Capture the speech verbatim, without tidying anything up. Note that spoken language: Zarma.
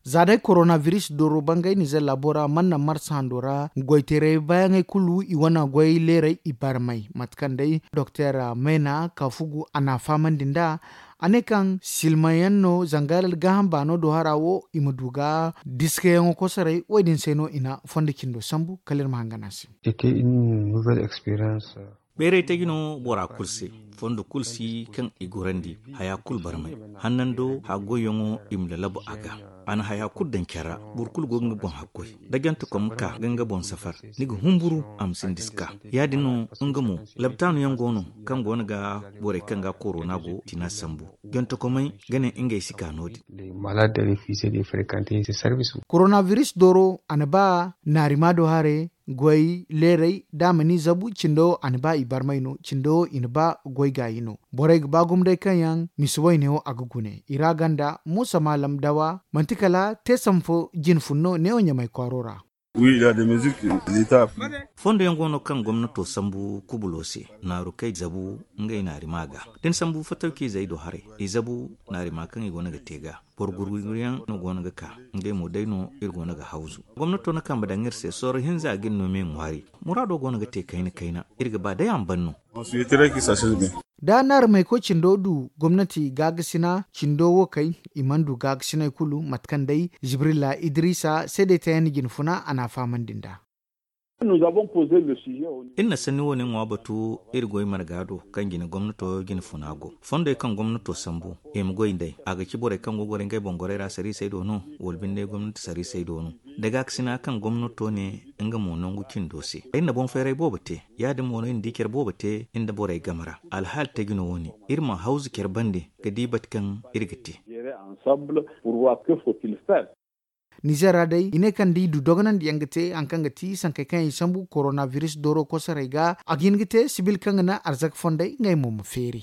Za day korona biris dooro bangay nizer laabo ra mana naŋ marsa hando ra goyteeray baayaŋey kulu i wane goy leeray i barmay mate kaŋ day doktor meena kaafugu a n'a fahamandi nd'a. A ne kaŋ silmaŋ yaŋ no zanga gaaham baano do hara wo i ma du ga diskayaŋo kosoray wo- din se no i na fondo cindo sambu kala iri ma hangan a se. Bayray taji no bora kulu se. Fondo kulu si kaŋ i gorandi haya kulu barmay. Hannando haggoyyaŋo i ma lalabu a ga. A na haya kulu daŋ care ra. Boro kulu go ga nga boŋ haggoy da jantekom ka ga nga boŋ safar, ni ga humburu a ma sinda si ka. Ya- din no nga mo labtaanu yaŋ go no kaŋ go no ga borey kaŋ ga korona go tina sambu. Jantekomey ga ne ngey si ka no- din. Korona biris dooro a na ba naarima do hare goy leeray da a ma ni zabu cindo a na ba i barmay no cindo i na ba goy gaayi no. Borey ga ba gumday kaŋ yaŋ misi wayne wo a ga gune i ra ganda muusa maalam dawa manti kala te sambu fo jine fun no neewo ɲamay kwaaro ra. Fondo yaŋ go no kaŋ gomnato sambu kubulo se naaru kay zabu ngey naarima ga da ni sambu fatawci izey do haray i zabu naarima kaŋ i go no ga te ga. Boro gurguryaŋ no go no ga ka ngey mo day no iri go no ga hawzu. Gomnato na kambe daŋ iri se sorro hinza ga iri no me ŋwaari. Muraado go no ga te kayna kayna iri ga ba day a ma ban no. Da naarumey koy cindo du gomnati gaagasina cindo wo kay i mana du gaagasiney kulu mate kaŋ day jibrilla idrisa seedey tayandi jine funa a n'a fahamandi nd'a. Iri na sanni wo- ne ŋwa batu iri goy marga do kaŋ jine gomnato jine funa go fondey kaŋ gomnato sambu i ma goy nd'ey a ga ci borey kaŋ go gorey ngey boŋ gorey ra sariisey do no wala binde gomnati sariisey do no. Da gaakasina kaŋ gomnato ne nga mo nangu cindo se ay na boŋ fayray boobo te. Ya- din mo no iri na di care boobo te iri nda borey game ra. Alhaali taji no wo- ne iri ma hawzu care bande ga di bate kaŋ iri ga te. Nizer ra day i ne kaŋ da i du dogonandi yaŋ ga te hari kaŋ ga ti sankey kaŋ yaŋ i sambu korona biris dooro kosoray ga a ga hin ga te sibil kaŋ ga naŋ arzaka fondey ngey mo ma feeri.